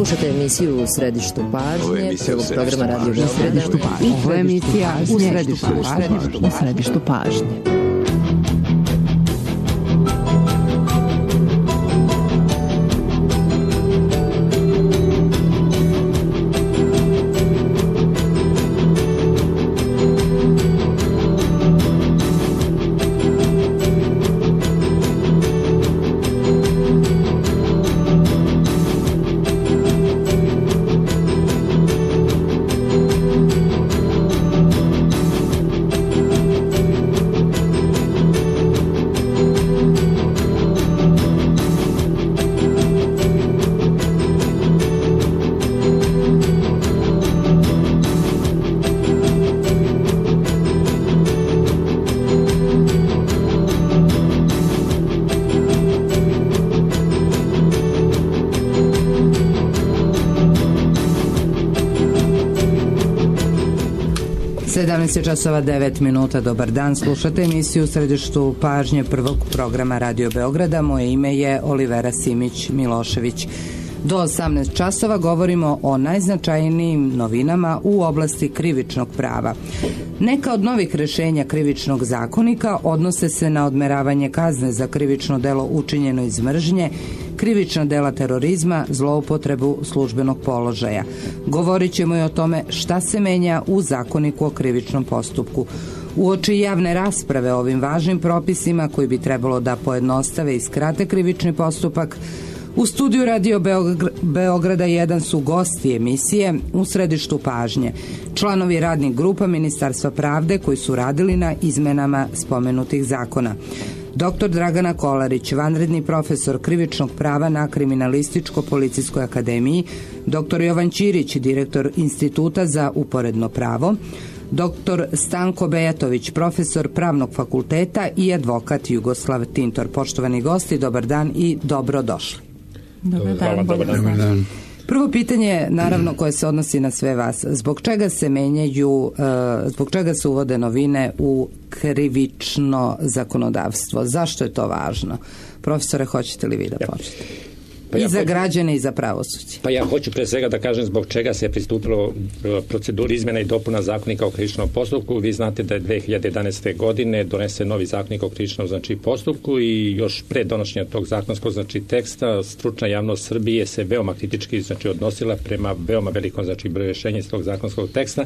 Slušate emisiju U središtu pažnje, prvog programa Radio Beograda. Ovo je emisija U središtu pažnje. Časova 9 minuta, dobar dan, slušate emisiju U središtu pažnje prvog programa Radio Beograda. Moje ime je Olivera Simić-Milošević. Do 18 časova govorimo o najznačajnijim novinama u oblasti krivičnog prava. Neka od novih rešenja krivičnog zakonika odnose se na odmeravanje kazne za krivično delo učinjeno iz mržnje, krivična dela terorizma, zloupotrebu službenog položaja. Govorit ćemo i o tome šta se menja u zakoniku o krivičnom postupku. Uoči javne rasprave o ovim važnim propisima koji bi trebalo da pojednostave i skrate krivični postupak, u studiju Radio Beograda 1 su gosti emisije U središtu pažnje, članovi radnih grupa Ministarstva pravde koji su radili na izmenama spomenutih zakona. Dr. Dragana Kolarić, vanredni profesor krivičnog prava na Kriminalističko-policijskoj akademiji, dr. Jovan Ćirić, direktor Instituta za uporedno pravo, dr. Stanko Bejatović, profesor Pravnog fakulteta i advokat Jugoslav Tintor. Poštovani gosti, dobar dan i dobrodošli. Dobar dan. Prvo pitanje, naravno, koje se odnosi na sve vas. Zbog čega se menjaju, zbog čega se uvode novine u krivično zakonodavstvo? Zašto je to važno? Profesore, hoćete li vi da počnete? I za građane i za pravosuđe. Pa ja hoću pre svega da kažem zbog čega se je pristupilo proceduri izmjena i dopuna zakonika o krivičnom postupku. Vi znate da je 2011. godine donesen novi zakonik o krivičnom postupku i još pre donošenja tog zakonskog teksta stručna javnost Srbije se veoma kritički odnosila prema veoma velikom broju rješenja iz tog zakonskog teksta.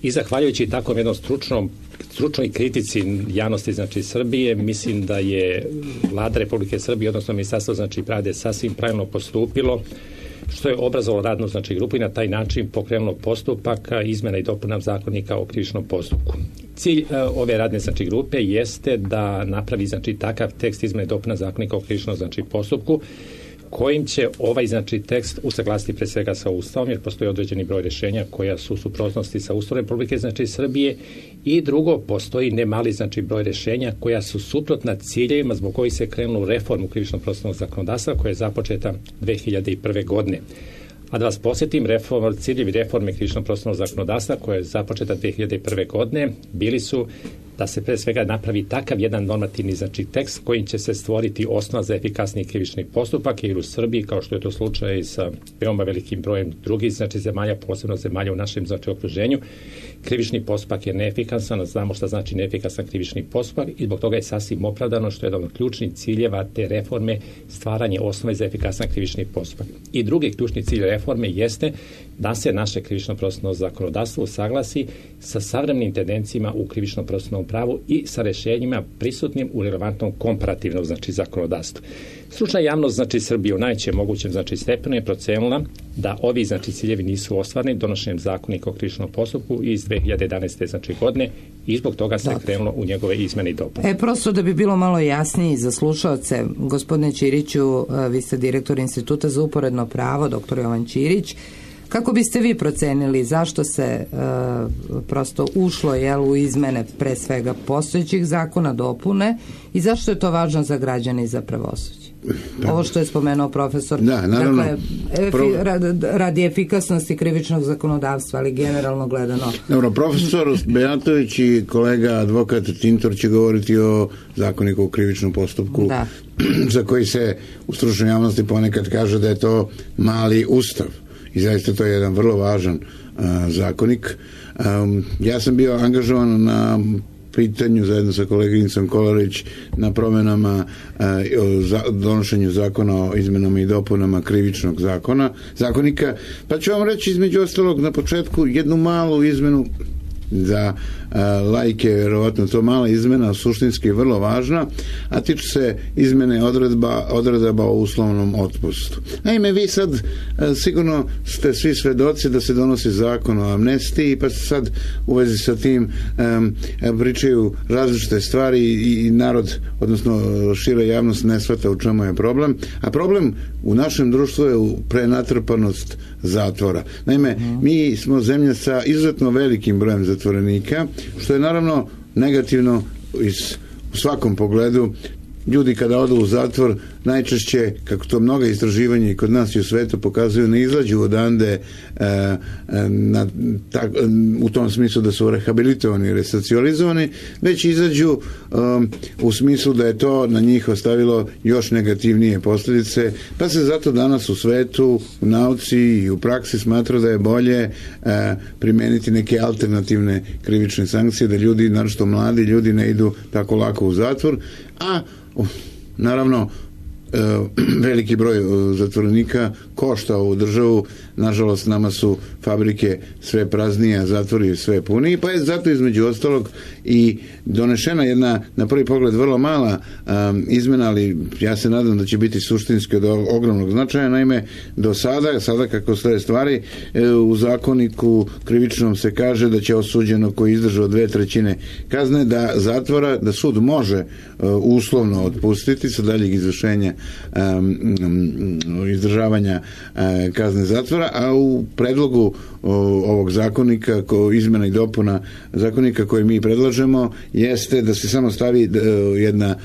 I zahvaljujući takvom jednom stručnoj kritici javnosti Srbije, mislim da je Vlada Republike Srbije, odnosno Ministarstvo pravde sasvim pravilno postupilo, što je obrazovalo radnu grupu i na taj način pokrenulo postupak izmjena i dopuna zakonika o krivičnom postupku. Cilj ove radne grupe jeste da napravi takav tekst izmjena i dopuna zakonika o krivičnom postupku kojim će ovaj tekst usaglasiti pre svega sa Ustavom, jer postoji određeni broj rješenja koja su u suprotnosti sa Ustavom Republike Srbije, i drugo, postoji nemali broj rješenja koja su suprotna ciljevima zbog kojih se krenulo u reformu krivičnog procesnog zakonodavstva koja je započeta 2001. godine. A da vas posjetim, ciljevi reforme krivičnog procesnog zakonodavstva koja je započeta 2001. godine bili su da se pre svega napravi takav jedan normativni tekst kojim će se stvoriti osnova za efikasniji krivični postupak, jer u Srbiji, kao što je to slučaj sa veoma velikim brojem drugih zemalja, posebno zemalja u našem okruženju, krivični postupak je neefikasan, a znamo šta znači neefikasan krivični postupak i zbog toga je sasvim opravdano što je jedan od ključnih ciljeva te reforme stvaranje osnove za efikasan krivični postupak. I drugi ključni cilj reforme jeste da se naše krivično procesno zakonodavstvo usaglasi sa savremenim tendencijama u krivičnom procesnom pravu i sa rješenjima prisutnim u relevantnom komparativnom zakonodavstvu. Stručna javnost Srbije u najvećem mogućem stepenu je procenila da ovi ciljevi nisu ostvareni donošenjem zakonika o krivičnom postupku iz 2011. godine i zbog toga se krenulo u njegove izmjene i dopune. Prosto da bi bilo malo jasniji za slušaoce, gospodine Ćiriću, vi ste direktor Instituta za uporedno pravo, dr. Jovan Ćirić. Kako biste vi procenili zašto se prosto ušlo u izmene pre svega postojećih zakona, dopune, i zašto je to važno za građane i za pravosuđe? ovo što je spomenuo profesor. Da, naravno. Dakle, radi efikasnosti krivičnog zakonodavstva, ali generalno gledano. Dobro, profesor Bejatović i kolega advokat Tintor će govoriti o zakoniku o krivičnom postupku, za koji se u stručnoj javnosti ponekad kaže da je to mali ustav. I zaista to je jedan vrlo važan zakonik. Ja sam bio angažovan na pitanju zajedno sa koleginicom Kolarić na promenama donošenju zakona o izmenama i dopunama krivičnog zakonika, pa ću vam reći između ostalog na početku jednu malu izmenu za laike, vjerovatno to mala izmena, suštinski je vrlo važna, a tiče se izmene odredaba o uslovnom otpustu. Naime, vi sad sigurno ste svi svedoci da se donosi zakon o amnestiji, pa se sad u vezi sa tim pričaju različite stvari i narod, odnosno šira javnost ne shvata u čemu je problem, a problem u našem društvu je prenatrpanost zatvora. Naime, mi smo zemlja sa izuzetno velikim brojem zatvorenika, što je naravno negativno u svakom pogledu. Ljudi kada odu u zatvor najčešće, kako to mnoga istraživanja i kod nas i u svetu pokazuju, ne izađu odande u tom smislu da su rehabilitovani i resocijalizovani, već izađu u smislu da je to na njih ostavilo još negativnije posljedice, pa se zato danas u svetu, u nauci i u praksi smatra da je bolje primeniti neke alternativne krivične sankcije, da ljudi, naročito mladi ljudi, ne idu tako lako u zatvor, a naravno veliki broj zatvorenika košta ovu državu. Nažalost, nama su fabrike sve praznije, a zatvori sve puniji, pa je zato između ostalog i donešena jedna, na prvi pogled, vrlo mala izmena, ali ja se nadam da će biti suštinski od ogromnog značaja. Naime, do sada kako stoje stvari, u zakoniku krivičnom se kaže da će osuđeno koji izdržao 2/3 kazne da zatvora, da sud može uslovno otpustiti sa daljeg izvršenja izdržavanja kazne zatvora, a u predlogu ovog zakonika, izmena i dopuna zakonika koje mi predlažemo, jeste da se samo stavi jedna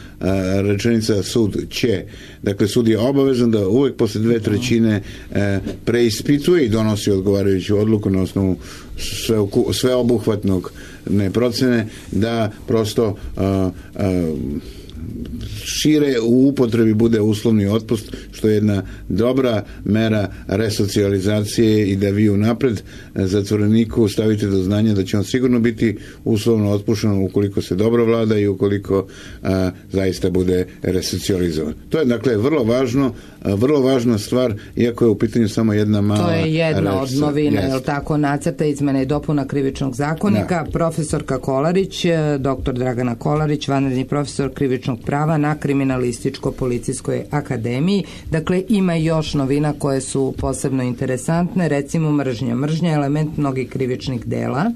rečenica sud će. Dakle, sud je obavezan da uvek posle 2/3 preispituje i donosi odgovarajuću odluku na osnovu sveobuhvatnog procene, da prosto šire u upotrebi bude uslovni otpust, što je jedna dobra mera resocijalizacije i da vi unapred zatvoreniku stavite do znanja da će on sigurno biti uslovno otpušten ukoliko se dobro vlada i ukoliko zaista bude resocijalizovan. To je dakle vrlo važna stvar, iako je u pitanju samo jedna mala. To je jedna od novina, je li tako, nacrta izmene i dopuna krivičnog zakonika. Da. Profesorka Kolarić, doktor Dragana Kolarić, vanredni profesor krivičnog prava na Kriminalističko-policijskoj akademiji. Dakle, ima još novina koje su posebno interesantne, recimo mržnja. Mržnja je element mnogih krivičnih dela.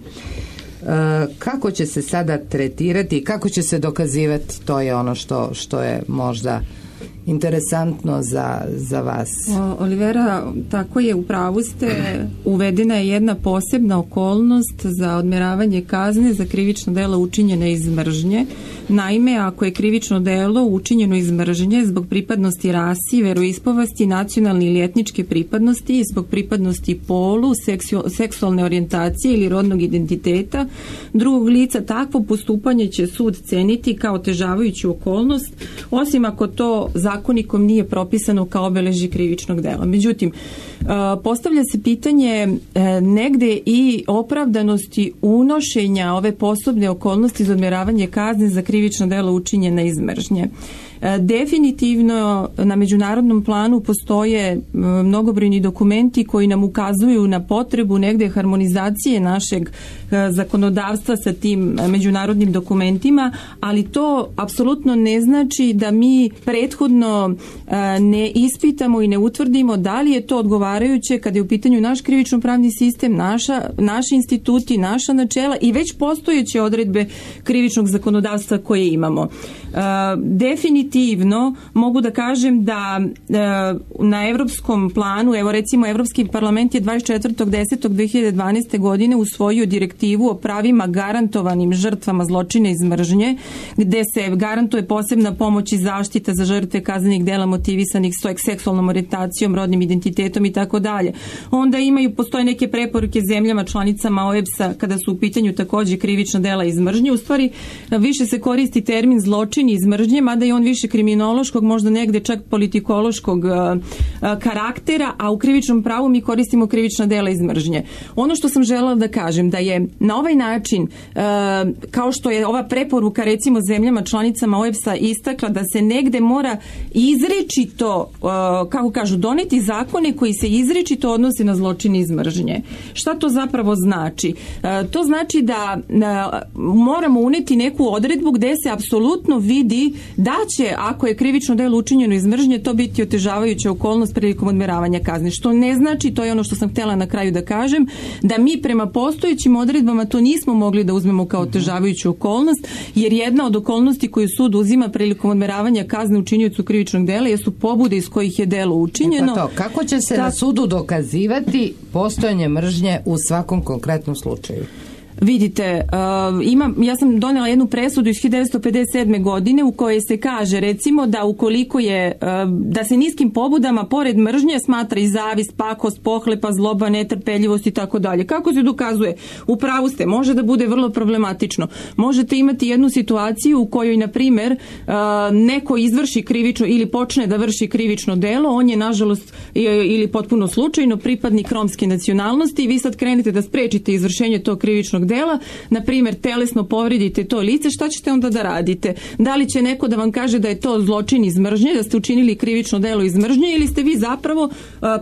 Kako će se sada tretirati i kako će se dokazivati, to je ono što je možda interesantno za vas. Olivera, tako je, u pravu ste, uvedena je jedna posebna okolnost za odmeravanje kazne za krivično delo učinjene iz mržnje. Naime, ako je krivično delo učinjeno iz mržnje zbog pripadnosti rasi, veroispovesti, nacionalne ili etničke pripadnosti, zbog pripadnosti polu, seksualne orijentacije ili rodnog identiteta drugog lica, takvo postupanje će sud ceniti kao otežavajuću okolnost, osim ako to zakonikom nije propisano kao obeležje krivičnog dela. Međutim, postavlja se pitanje negde i opravdanosti unošenja ove posebne okolnosti za odmeravanje kazne za krivično delo učinjena iz mržnje. Definitivno na međunarodnom planu postoje mnogobrojni dokumenti koji nam ukazuju na potrebu negde harmonizacije našeg zakonodavstva sa tim međunarodnim dokumentima, ali to apsolutno ne znači da mi prethodno ne ispitamo i ne utvrdimo da li je to odgovarajuće kada je u pitanju naš krivično-pravni sistem, naši instituti, naša načela i već postojeće odredbe krivičnog zakonodavstva koje imamo. Definitivno definitivno mogu da kažem da na evropskom planu, evo recimo Evropski parlament je 24.10.2012. godine usvojio direktivu o pravima garantovanim žrtvama zločina iz mržnje, gde se garantuje posebna pomoć i zaštita za žrtve kaznenih dela motivisanih seksualnom orijentacijom, rodnim identitetom i tako dalje. Onda postoje neke preporuke zemljama članicama OEBS-a kada su u pitanju takođe krivična dela iz mržnje. U stvari više se koristi termin zločin iz mržnje, mada je on više kriminološkog, možda negde čak politikološkog karaktera, a u krivičnom pravu mi koristimo krivična dela iz mržnje. Ono što sam želela da kažem, da je na ovaj način, kao što je ova preporuka recimo zemljama članicama OEBS-a istakla da se negde mora izričito, kako kažu, doneti zakone koji se izričito odnose na zločin iz mržnje. Šta to zapravo znači? To znači da moramo uneti neku odredbu gde se apsolutno vidi da će, ako je krivično delo učinjeno iz mržnje, to biti otežavajuća okolnost prilikom odmeravanja kazne. Što ne znači, to je ono što sam htjela na kraju da kažem, da mi prema postojećim odredbama to nismo mogli da uzmemo kao otežavajuću okolnost, jer jedna od okolnosti koju sud uzima prilikom odmeravanja kazne učiniocu krivičnog dela jesu pobude iz kojih je delo učinjeno. Pa to, kako će se na sudu dokazivati postojanje mržnje u svakom konkretnom slučaju? Vidite, ja sam donela jednu presudu iz 1957. godine u kojoj se kaže recimo da ukoliko je, da se niskim pobudama pored mržnje smatra i zavist, pakost, pohlepa, zloba, netrpeljivost i tako dalje. Kako se dokazuje? U pravu ste, može da bude vrlo problematično. Možete imati jednu situaciju u kojoj, na primjer, neko izvrši krivično ili počne da vrši krivično delo, on je nažalost ili potpuno slučajno pripadnik romske nacionalnosti i vi sad krenete da sprečite izvršenje tog krivičnog dela, na primjer telesno povredite to lice, šta ćete onda da radite? Da li će neko da vam kaže da je to zločin iz mržnje, da ste učinili krivično delo iz mržnje ili ste vi zapravo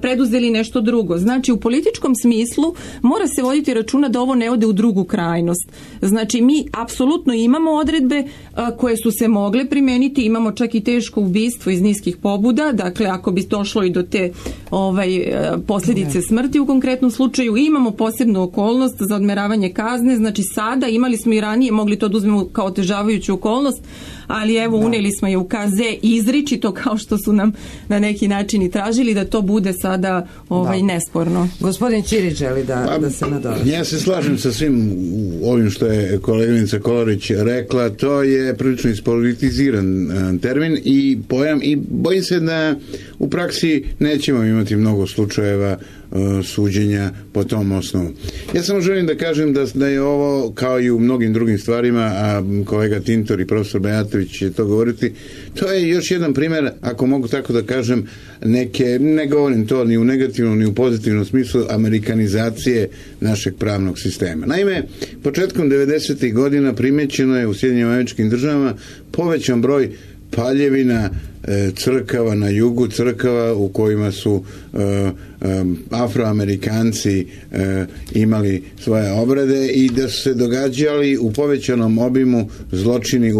preduzeli nešto drugo? Znači, u političkom smislu mora se voditi računa da ovo ne ode u drugu krajnost. Znači, mi apsolutno imamo odredbe koje su se mogle primeniti, imamo čak i teško ubistvo iz niskih pobuda, dakle, ako bi došlo i do te posljedice smrti u konkretnom slučaju, imamo posebnu okolnost za odmeravanje kazne, znači sada, imali smo i ranije, mogli to da uzmemo kao otežavajuću okolnost, ali evo unijeli smo je u KZ izričito kao što su nam na neki način i tražili da to bude sada nesporno. Gospodin Ćirić želi da se nadoveže. Ja se slažem sa svim ovim što je koleginica Kolarić rekla, to je prilično ispolitiziran termin i pojam i bojim se da u praksi nećemo imati mnogo slučajeva suđenja po tom osnovu. Ja samo želim da kažem da je ovo, kao i u mnogim drugim stvarima, a kolega Tintor i profesor Bajatović će to govoriti, to je još jedan primjer, ako mogu tako da kažem, ne govorim to ni u negativnom ni u pozitivnom smislu, amerikanizacije našeg pravnog sistema. Naime, početkom 90. godina primećeno je u Sjedinjenim Američkim Državama povećan broj paljevina crkava na jugu, crkava u kojima su Afroamerikanci imali svoje obrede i da su se događali u povećanom obimu zločini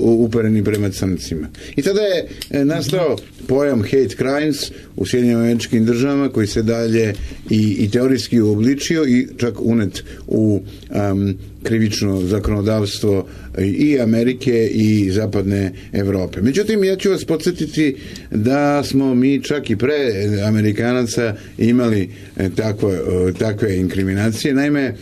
upereni prema crncima. I tada je nastao pojam hate crimes u Sjedinjenim Američkim Državama koji se dalje i teorijski uobličio i čak unet u krivično zakonodavstvo i Amerike i zapadne Evrope. Međutim, ja ću vas podsjetiti da smo mi čak i pre Amerikanaca imali takve inkriminacije. Naime,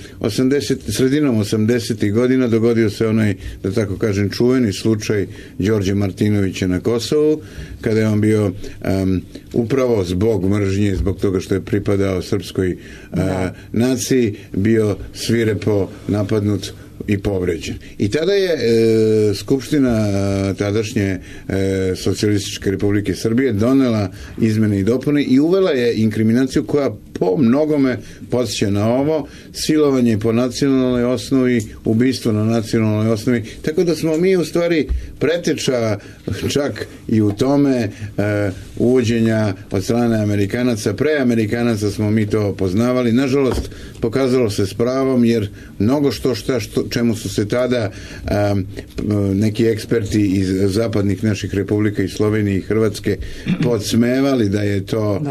sredinom 80. godina dogodio se onaj, da tako kažem, čuveni slučaj Đorđe Martinovića na Kosovu, kada je on bio upravo zbog mržnje, zbog toga što je pripadao srpskoj naciji, bio svirepo napadnut i povređen. I tada je Skupština tadašnje Socijalističke Republike Srbije donela izmene i dopune i uvela je inkriminaciju koja po mnogome podsjeća na ovo, silovanje po nacionalnoj osnovi, ubistvo na nacionalnoj osnovi, tako da smo mi u stvari preteča čak i u tome uvođenja od strane Amerikanaca. Pre Amerikanaca smo mi to poznavali. Nažalost, pokazalo se s pravom, jer mnogo čemu su se tada neki eksperti iz zapadnih naših republika i Slovenije i Hrvatske podsmevali da je to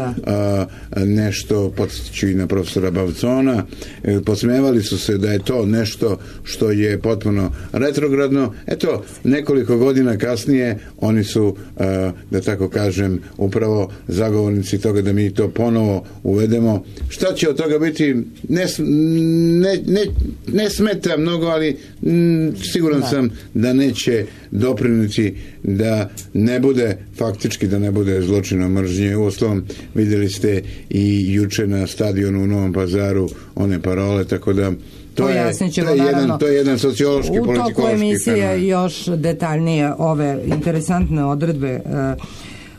nešto, podsjeću i na profesora Bavcona, podsmevali su se da je to nešto što je potpuno retrogradno. Eto, nekoliko godina kasnije oni su, da tako kažem, upravo zagovornici toga da mi to ponovo uvedemo. Šta će od toga biti? Ne smeta mnogo, ali siguran sam da neće doprinijeti da ne bude, faktički da ne bude zločina mržnje. Uostalom, vidjeli i juče na stadionu u Novom Pazaru one parole, tako da to je jedan sociološki, politikološki u toku emisije još detaljnije ove interesantne odredbe.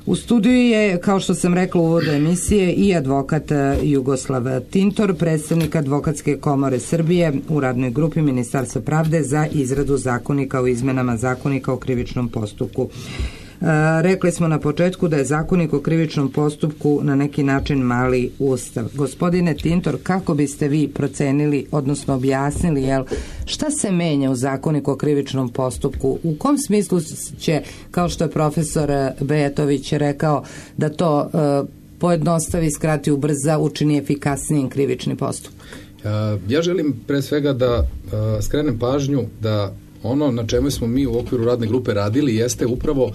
U studiju je, kao što sam rekla u uvodu emisije, i advokat Jugoslav Tintor, predstavnik Advokatske komore Srbije u radnoj grupi Ministarstva pravde za izradu zakonika o izmenama zakonika o krivičnom postupku. Rekli smo na početku da je zakonik o krivičnom postupku na neki način mali ustav. Gospodine Tintor, kako biste vi procenili, odnosno objasnili, šta se menja u zakoniku o krivičnom postupku? U kom smislu će, kao što je profesor Bejatović rekao, da to pojednostavi, skrati, ubrza, učini efikasnijim krivični postupak? Ja želim pre svega da skrenem pažnju da ono na čemu smo mi u okviru radne grupe radili jeste upravo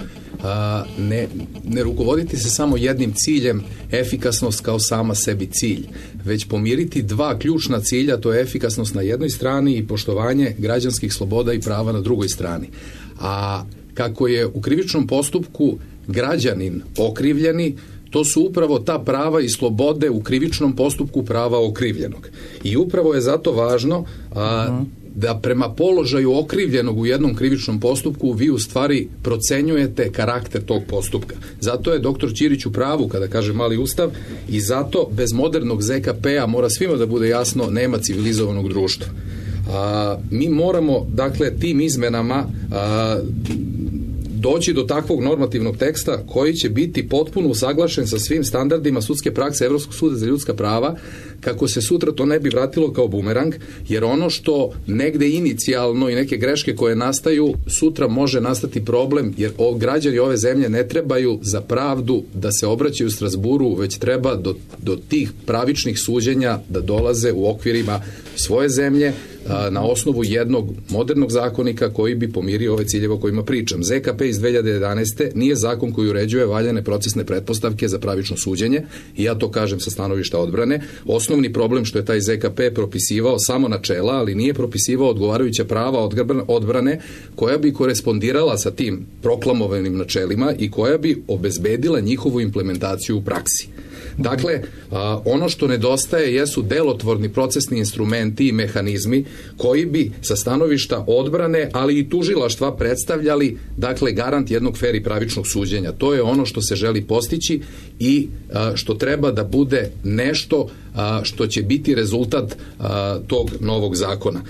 ne rukovoditi se samo jednim ciljem, efikasnost kao sama sebi cilj, već pomiriti dva ključna cilja, to je efikasnost na jednoj strani i poštovanje građanskih sloboda i prava na drugoj strani. A kako je u krivičnom postupku građanin okrivljeni, to su upravo ta prava i slobode u krivičnom postupku prava okrivljenog. I upravo je zato važno da prema položaju okrivljenog u jednom krivičnom postupku vi u stvari procenjujete karakter tog postupka. Zato je doktor Ćirić u pravu kada kaže mali ustav i zato bez modernog ZKP-a mora svima da bude jasno, nema civilizovanog društva. Mi moramo, dakle, tim izmenama doći do takvog normativnog teksta koji će biti potpuno usaglašen sa svim standardima sudske prakse Evropskog suda za ljudska prava, kako se sutra to ne bi vratilo kao bumerang, jer ono što negde inicijalno i neke greške koje nastaju, sutra može nastati problem, jer građani ove zemlje ne trebaju za pravdu da se obraćaju u Strazburu, već treba do tih pravičnih suđenja da dolaze u okvirima svoje zemlje, na osnovu jednog modernog zakonika koji bi pomirio ove ciljeve o kojima pričam. ZKP iz 2011. nije zakon koji uređuje valjane procesne pretpostavke za pravično suđenje i ja to kažem sa stanovišta odbrane. Osnovni problem što je taj ZKP propisivao samo načela, ali nije propisivao odgovarajuća prava odbrane koja bi korespondirala sa tim proklamovanim načelima i koja bi obezbedila njihovu implementaciju u praksi. Dakle, ono što nedostaje jesu delotvorni procesni instrumenti i mehanizmi koji bi sa stanovišta odbrane, ali i tužilaštva predstavljali, dakle, garant jednog fer i pravičnog suđenja. To je ono što se želi postići i što treba da bude nešto što će biti rezultat tog novog zakona.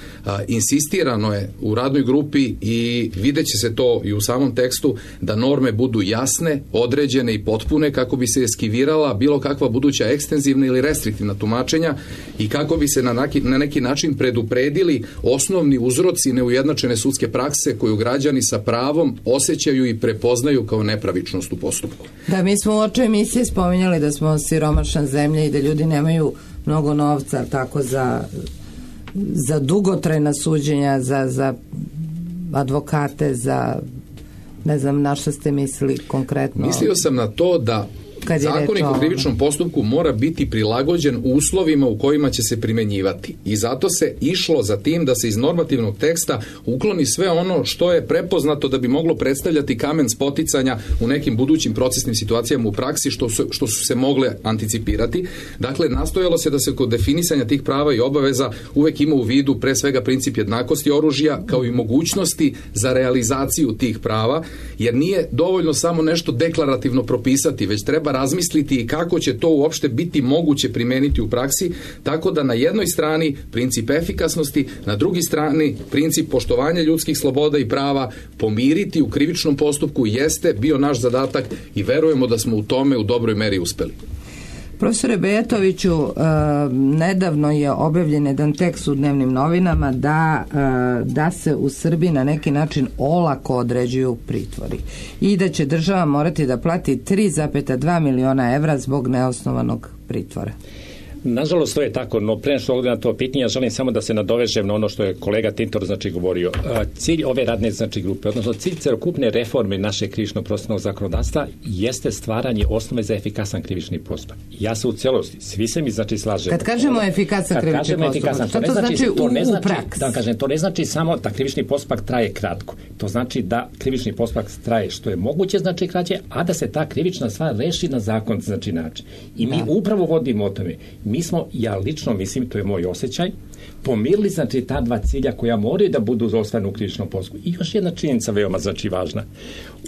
Insistirano je u radnoj grupi i vidjet će se to i u samom tekstu da norme budu jasne, određene i potpune kako bi se eskivirala bilo kakva buduća ekstenzivna ili restriktivna tumačenja i kako bi se na neki način predupredili osnovni uzroci neujednačene sudske prakse koju građani sa pravom osjećaju i prepoznaju kao nepravičnost u postupku. Da, mi smo u očoj emisiji spominjali da smo siromašna zemlja i da ljudi nemaju mnogo novca tako za dugotrajna suđenja, za advokate, za ne znam na što ste mislili konkretno. Mislio sam na to da zakonik o krivičnom postupku mora biti prilagođen uslovima u kojima će se primenjivati. I zato se išlo za tim da se iz normativnog teksta ukloni sve ono što je prepoznato da bi moglo predstavljati kamen spoticanja u nekim budućim procesnim situacijama u praksi što su se mogle anticipirati. Dakle, nastojalo se da se kod definisanja tih prava i obaveza uvek ima u vidu pre svega princip jednakosti oružja kao i mogućnosti za realizaciju tih prava, jer nije dovoljno samo nešto deklarativno propisati, već treba razmisliti i kako će to uopšte biti moguće primeniti u praksi, tako da na jednoj strani princip efikasnosti, na drugi strani princip poštovanja ljudskih sloboda i prava pomiriti u krivičnom postupku jeste bio naš zadatak i verujemo da smo u tome u dobroj meri uspeli. Profesore Bejatoviću, nedavno je objavljen jedan tekst u dnevnim novinama da se u Srbiji na neki način olako određuju pritvori i da će država morati da plati 3,2 miliona evra zbog neosnovanog pritvora. Nažalost, to je tako, no pre što odgovorim na to pitanje, ja želim samo da se nadovežem na ono što je kolega Tintor govorio. Cilj ove radne grupe, odnosno cilj celokupne reforme našeg krivično-procesnog zakonodavstva jeste stvaranje osnove za efikasan krivični postupak. Ja se u celosti, svi se mi slažemo. Kad kažemo efikasan krivični postupak, šta to znači u praksi? Da kažem, to ne znači samo da krivični postupak traje kratko. To znači da krivični postupak traje što je moguće, znači kraće, a da se ta krivična stvar reši na zakon, znači način. I mi upravo vodimo o tome. Mi smo, ja lično mislim, to je moj osjećaj, pomirili znači ta dva cilja koja moraju da budu ostvareni u krivičnom postupku. I još jedna činjenica veoma znači važna.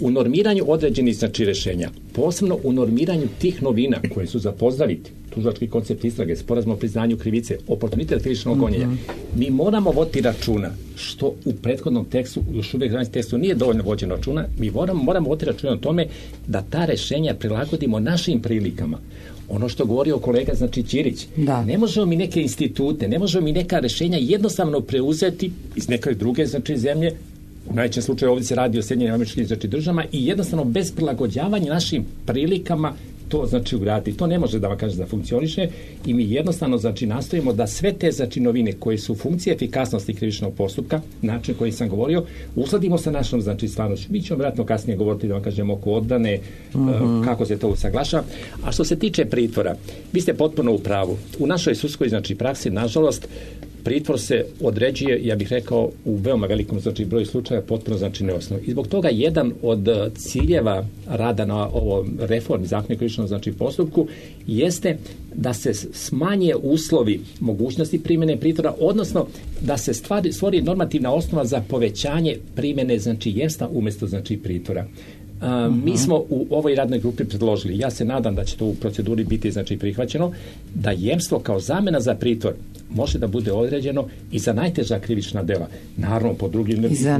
U normiranju određenih znači rješenja, posebno u normiranju tih novina koje su za pozdraviti, tužilački koncept istrage, sporazum o priznanju krivice, oportunitet krivičnog gonjenja, mi moramo voditi računa što u prethodnom tekstu, još uvijek u tekstu nije dovoljno vođeno računa, mi moramo voditi računa o tome da ta rješenja prilagodimo našim prilikama. Ono što govorio kolega, znači Ćirić, ne možemo mi neke institute, ne možemo mi neka rješenja jednostavno preuzeti iz neke druge znači zemlje, u najvećem slučaju ovdje se radi o Sjedinjenim Američkim znači državama i jednostavno bez prilagođavanja našim prilikama to znači ugraditi. To ne može da vam kaže da funkcioniše i mi jednostavno znači nastojimo da sve te znači novine koje su funkcije efikasnosti krivičnog postupka, način koji sam govorio, uskladimo sa našom znači stvarnošću. Mi ćemo vjerojatno kasnije govoriti da vam kažemo oko odbrane, kako se to usaglašava. A što se tiče pritvora, vi ste potpuno u pravu. U našoj sudskoj znači praksi, nažalost, pritvor se određuje, ja bih rekao, u veoma velikom znači broju slučaja potpuno znači neosnovno. I zbog toga jedan od ciljeva rada na ovo reformi Zakona o krivičnom znači postupku jeste da se smanje uslovi mogućnosti primjene pritvora, odnosno da se stvori normativna osnova za povećanje primjene znači jemstva umjesto znači pritvora. Mi smo u ovoj radnoj grupi predložili, ja se nadam da će to u proceduri biti znači prihvaćeno, da jemstvo kao zamjena za pritvor može da bude određeno i za najteža krivična dela. Naravno, po drugim i za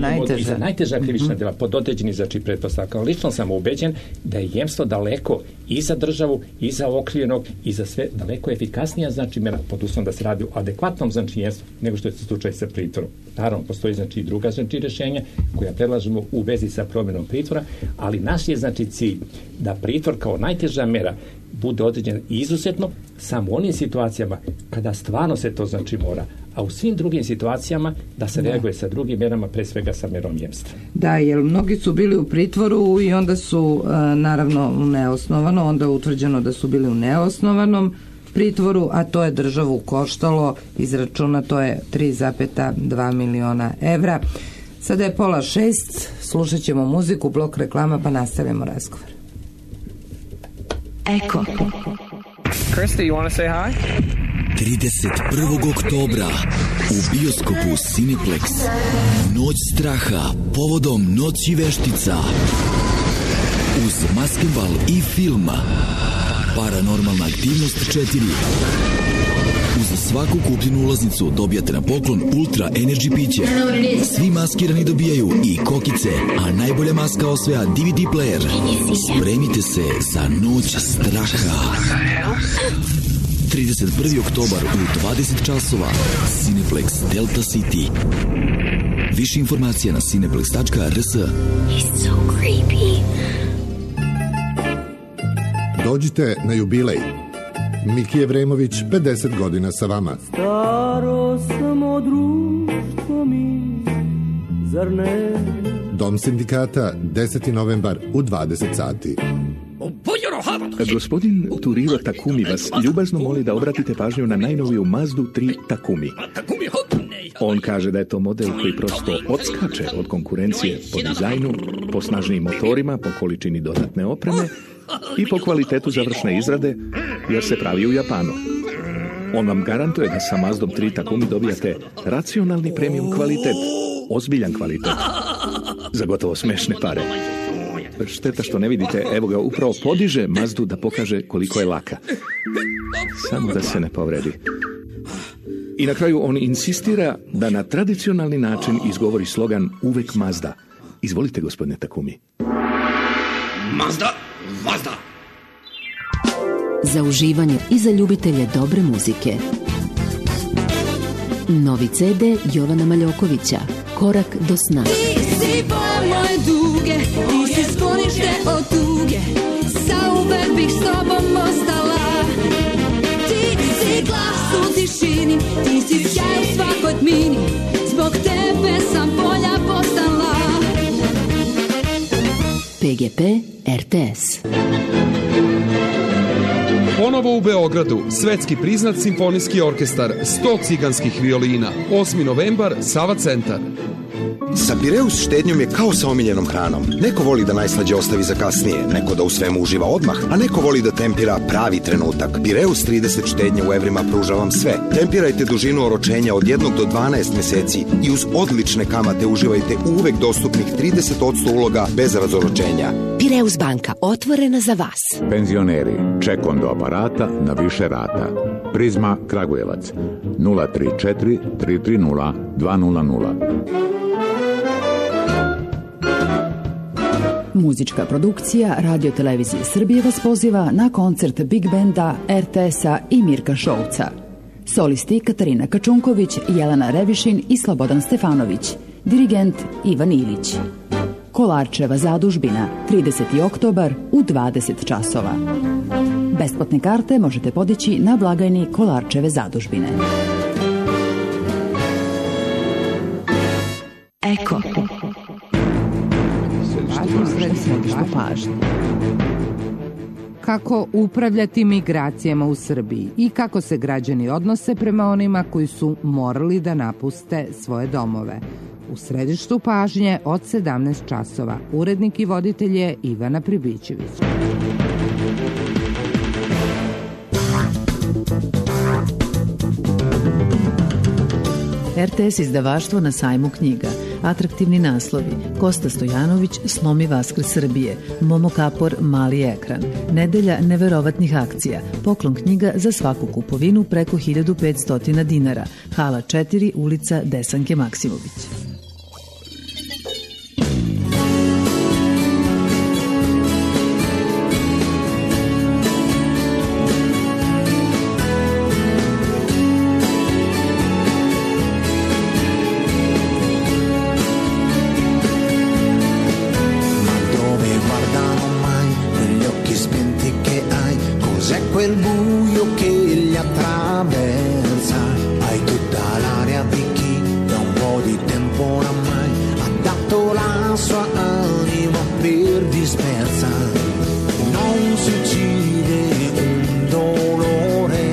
najteža krivična dela pod određenim znači pretpostavkama. Lično sam ubeđen da je jemstvo daleko i za državu, i za okrivljenog, i za sve daleko efikasnija znači mera, pod uslovom da se radi o adekvatnom znači jemstvu nego što je slučaj sa pritvorom. Naravno, postoji znači i druga znači rješenja koja predlažemo u vezi sa promjenom pritvora, ali naš je znači cilj da pritvor kao najteža mera bude određen izuzetno samo u onim situacijama kada stvarno se to znači mora, a u svim drugim situacijama da se reaguje sa drugim mjerama, pre svega sa mjerom jemstva. Da, jer mnogi su bili u pritvoru i onda su naravno neosnovano, onda je utvrđeno da su bili u neosnovanom pritvoru, a to je državu koštalo, izračunato je 3,2 miliona evra. Sada je 5:30, slušat ćemo muziku, blok reklama, pa nastavljamo razgovor. Eko. Krista, you want to say hi? 31. oktobra u bioskopu Cineplex Noć straha povodom Noći veštica uz maskembal i film Paranormalna aktivnost 4. Uz svaku kupljenu ulaznicu dobijate na poklon Ultra Energy piće. Svi maskirani dobijaju i kokice, a najbolja maska osvaja DVD player. Spremite se za Noć straha. 31. oktobar u 20 časova. Cineplex Delta City. Više informacija na cineplex.rs. He's so creepy. Dođite na jubilej. Miki Evremović, 50 godina sa vama. Staro samo društvo mi, zar ne? Dom sindikata, 10. novembar u 20 sati. Gospodin Turiro Takumi vas ljubazno moli da obratite pažnju na najnoviju Mazdu 3 Takumi. On kaže da je to model koji prosto odskače od konkurencije po dizajnu, po snažnijim motorima, po količini dodatne opreme i po kvalitetu završne izrade, jer se pravi u Japanu. On vam garantuje da sa Mazdom 3 Takumi dobijate racionalni premium kvalitet, ozbiljan kvalitet, za gotovo smešne pare. Šteta što ne vidite, evo ga, upravo podiže Mazdu da pokaže koliko je laka. Samo da se ne povredi. I na kraju on insistira da na tradicionalni način izgovori slogan uvek Mazda. Izvolite, gospodine Takumi. Mazda, Mazda. Za uživanje i za ljubitelje dobre muzike. Novi CD Jovana Maljokovića, Korak do sna. Ti si boja moje duge, ti si sklonište od tuge, zauvek bih s tobom ostala. Ti si ti si sjaj u svakoj tmini, zbog tebe sam bolja postala. PGP RTS. Ponovo u Beogradu, svetski priznat simfonijski orkestar 100 ciganskih violina, 8. novembar, Sava centar. Sa Pireus štednjom je kao sa omiljenom hranom. Neko voli da najslađe ostavi za kasnije, neko da u svemu uživa odmah, a neko voli da tempira pravi trenutak. Pireus 30 štednje u evrima pruža vam sve. Tempirajte dužinu oročenja od 1 do 12 meseci i uz odlične kamate uživajte uvek dostupnih 30% uloga bez razoročenja. Pireus banka, otvorena za vas. Penzioneri, ček do aparata na više rata. Prizma Kragujevac 034 330 200. Muzička produkcija Radio Televizije Srbije vas poziva na koncert Big Benda, RTS-a i Mirka Šolca. Solisti Katarina Kačunković, Jelena Revišin i Slobodan Stefanović. Dirigent Ivan Ilić. Kolarčeva zadužbina, 30. oktobar u 20 časova. Besplatne karte možete podići na blagajni Kolarčeve zadužbine. Eko. Kako upravljati migracijama u Srbiji i kako se građani odnose prema onima koji su morali da napuste svoje domove. U središtu pažnje od 17 časova. Urednik i voditelj je Ivana Pribićević. RTS izdavaštvo na sajmu knjiga. Atraktivni naslovi: Kosta Stojanović, Slomi Vaskrs Srbije, Momo Kapor, Mali ekran. Nedelja neverovatnih akcija. Poklon knjiga za svaku kupovinu preko 1500 dinara. Hala 4, ulica Desanke Maksimović. Quel buio che li attraversa, hai tutta l'aria di chi da un po' di tempo oramai ha dato la sua anima per dispersa. Non si uccide un dolore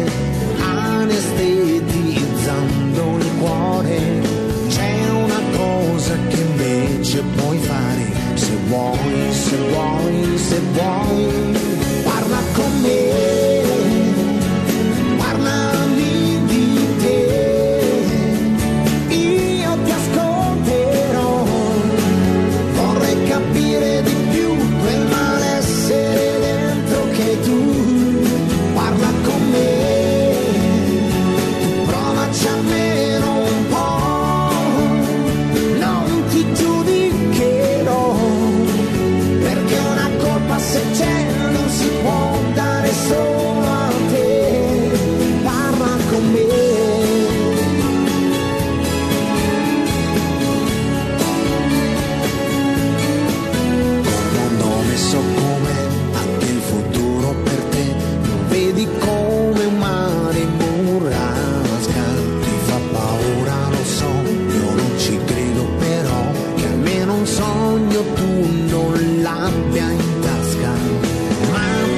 anestetizzando il cuore, c'è una cosa che invece puoi fare, se vuoi, se vuoi, se vuoi, parla con me. Se c'è non si può dare solo a te, parla con me. Col mondo messo come anche il futuro per te, lo vedi come un mare in burrasca, ti fa paura, lo so, io non ci credo però, che almeno un sogno tu non l'abbia in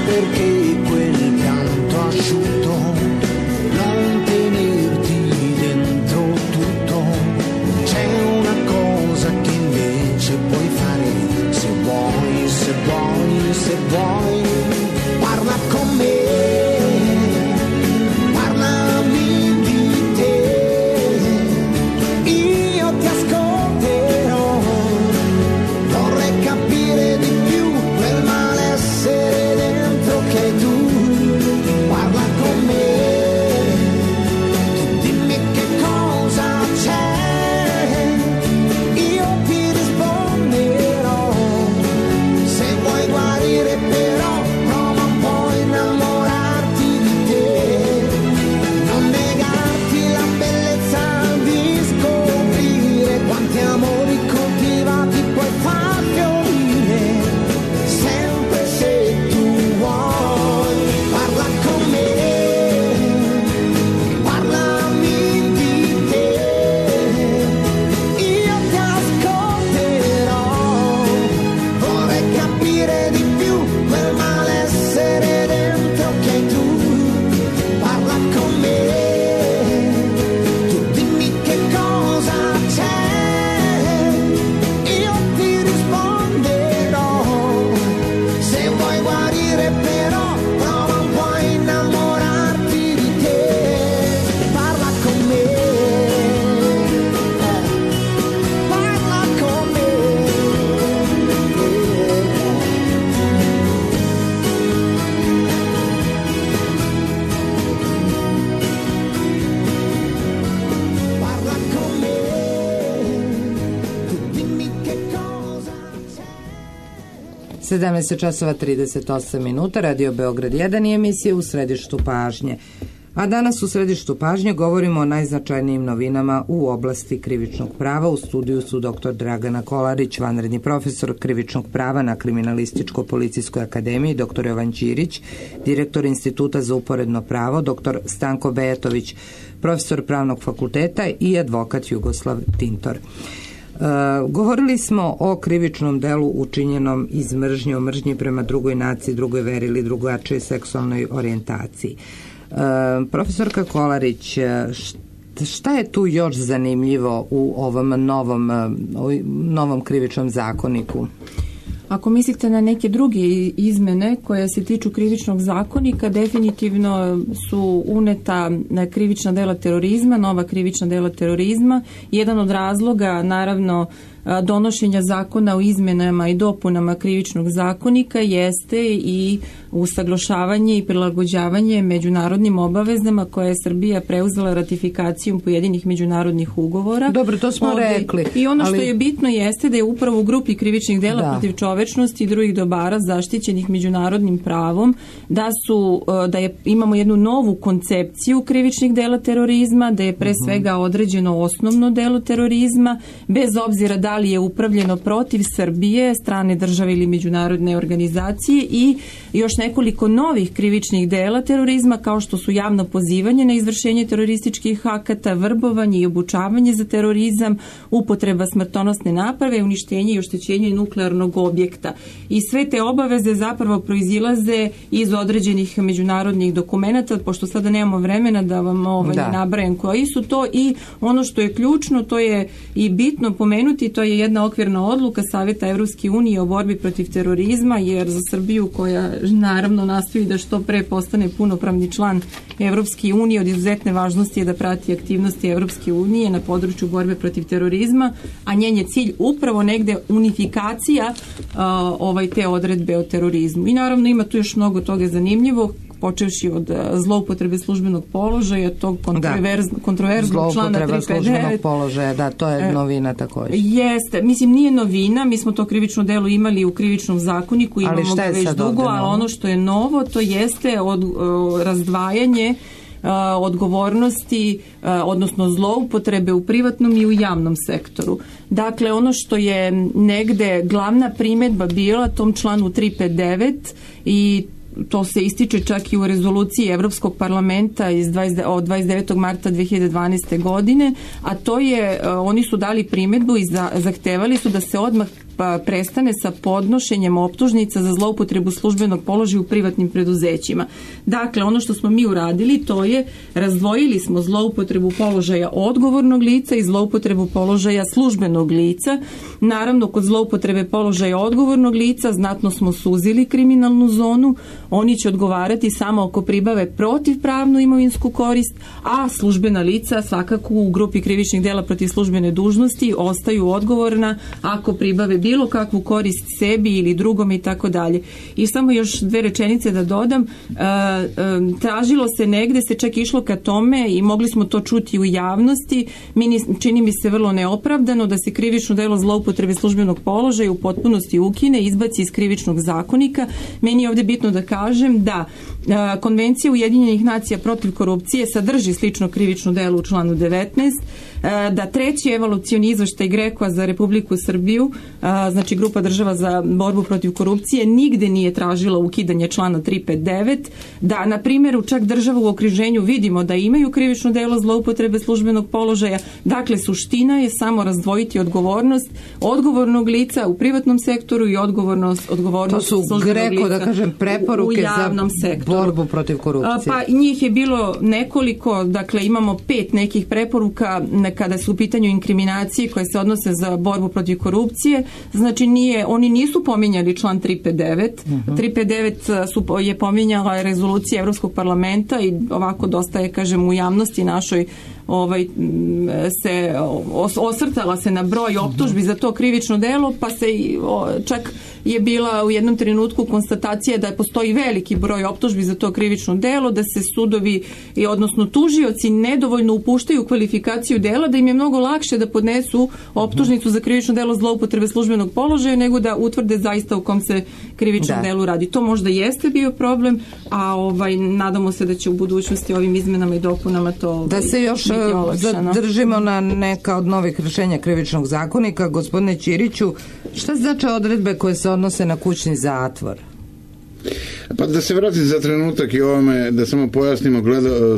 perché quel pianto asciutto non tenerti dentro tutto, c'è una cosa che invece puoi fare, se vuoi, se vuoi, se vuoi, parla con me, parlami di te, io ti ascolterò, vorrei capire di più quel malessere che tu parla con me, tu dimmi che cosa c'è, io ti risponderò, se vuoi guarire però 17:38, Radio Beograd 1 i emisija U središtu pažnje. A danas u središtu pažnje govorimo o najznačajnijim novinama u oblasti krivičnog prava. U studiju su dr. Dragana Kolarić, vanredni profesor krivičnog prava na Kriminalističko-policijskoj akademiji, dr. Jovan Ćirić, direktor Instituta za uporedno pravo, dr. Stanko Bejatović, profesor Pravnog fakulteta i advokat Jugoslav Tintor. Govorili smo o krivičnom delu učinjenom iz mržnje, o mržnji prema drugoj naciji, drugoj veri ili drugačijoj seksualnoj orijentaciji. Profesorka Kolarić, šta je tu još zanimljivo u ovom novom krivičnom zakoniku? Ako mislite na neke druge izmene koje se tiču krivičnog zakonika, definitivno su uneta krivična dela terorizma, nova krivična dela terorizma. Jedan od razloga, naravno, donošenja zakona o izmenama i dopunama krivičnog zakonika jeste i usaglašavanje i prilagođavanje međunarodnim obavezama koje je Srbija preuzela ratifikacijom pojedinih međunarodnih ugovora. Dobro, to smo rekli. I ono što je bitno jeste da je upravo u grupi krivičnih dela protiv čovečnosti i drugih dobara zaštićenih međunarodnim pravom, imamo jednu novu koncepciju krivičnih dela terorizma, da je pre svega određeno osnovno delo terorizma, bez obzira da li je upravljeno protiv Srbije, strane države ili međunarodne organizacije, i još nekoliko novih krivičnih dela terorizma kao što su javno pozivanje na izvršenje terorističkih akata, vrbovanje i obučavanje za terorizam, upotreba smrtonosne naprave, uništenje i oštećenje nuklearnog objekta. I sve te obaveze zapravo proizilaze iz određenih međunarodnih dokumenata, pošto sada nemamo vremena da vam nabrajam koji su to, i ono što je ključno, to je i bitno pomenuti, to je jedna okvirna odluka Saveta Evropske unije o borbi protiv terorizma, jer za Srbiju, koja naravno nastoji da što pre postane punopravni član Evropske unije, od izuzetne važnosti je da prati aktivnosti Evropske unije na području borbe protiv terorizma, a njen je cilj upravo negde unifikacija te odredbe o terorizmu. I naravno ima tu još mnogo toga zanimljivog, počevši od zloupotrebe službenog položaja, tog kontroverznog člana 359. Zloupotreba službenog položaja, da, to je novina također. Jeste, mislim, nije novina, mi smo to krivično delo imali u krivičnom zakoniku, imamo ga već dugo, ali ono što je novo, to jeste razdvajanje odgovornosti, odnosno zloupotrebe u privatnom i u javnom sektoru. Dakle, ono što je negde glavna primedba bila tom članu 359, i to se ističe čak i u rezoluciji Evropskog parlamenta od 29. marta 2012. godine, a to je, oni su dali primedbu i zahtevali su da se odmah prestane sa podnošenjem optužnica za zloupotrebu službenog položaja u privatnim preduzećima. Dakle, ono što smo mi uradili, to je razdvojili smo zloupotrebu položaja odgovornog lica i zloupotrebu položaja službenog lica. Naravno, kod zloupotrebe položaja odgovornog lica znatno smo suzili kriminalnu zonu, oni će odgovarati samo ako pribave protivpravnu imovinsku korist, a službena lica svakako u grupi krivičnih dela protiv službene dužnosti ostaju odgovorna ako pribave bilo kakvu korist sebi ili drugome i tako dalje. I samo još dve rečenice da dodam. Tražilo se negde, se čak išlo ka tome i mogli smo to čuti u javnosti, čini mi se vrlo neopravdano da se krivično delo zloupotrebe službenog položaja u potpunosti ukine, izbaci iz krivičnog zakonika. Meni je ovdje bitno da kažem da Konvencija Ujedinjenih nacija protiv korupcije sadrži slično krivično delo u članu 19, da treći evalucioni izveštaj GRECO-a za Republiku Srbiju, znači grupa država za borbu protiv korupcije, nigde nije tražila ukidanje člana 359, da na primjeru čak država u okruženju vidimo da imaju krivično delo zloupotrebe službenog položaja. Dakle, suština je samo razdvojiti odgovornost odgovornog lica u privatnom sektoru i odgovornost službenog lica da kažem, preporuke u javnom sektoru. Borbu protiv korupcije. Pa njih je bilo nekoliko, dakle imamo 5 nekih preporuka kada su u pitanju inkriminacije koje se odnose za borbu protiv korupcije. Znači oni nisu pominjali član 359. 359 je pominjala rezolucija Evropskog parlamenta i ovako dosta je, kažem, u javnosti našoj se osvrtala se na broj optužbi za to krivično delo, pa se čak je bila u jednom trenutku konstatacija da postoji veliki broj optužbi za to krivično delo, da se sudovi, odnosno tužioci, nedovoljno upuštaju u kvalifikaciju dela, da im je mnogo lakše da podnesu optužnicu za krivično delo zloupotrebe službenog položaja nego da utvrde zaista u kom se krivičnom delu radi. To možda jeste bio problem, a nadamo se da će u budućnosti ovim izmenama i dopunama to da se još zadržimo na neka od novih rješenja krivičnog zakonika. Gospodine Ćiriću, šta znači odredbe koje se odnose na kućni zatvor? Pa da se vratim za trenutak i ovome, da samo pojasnimo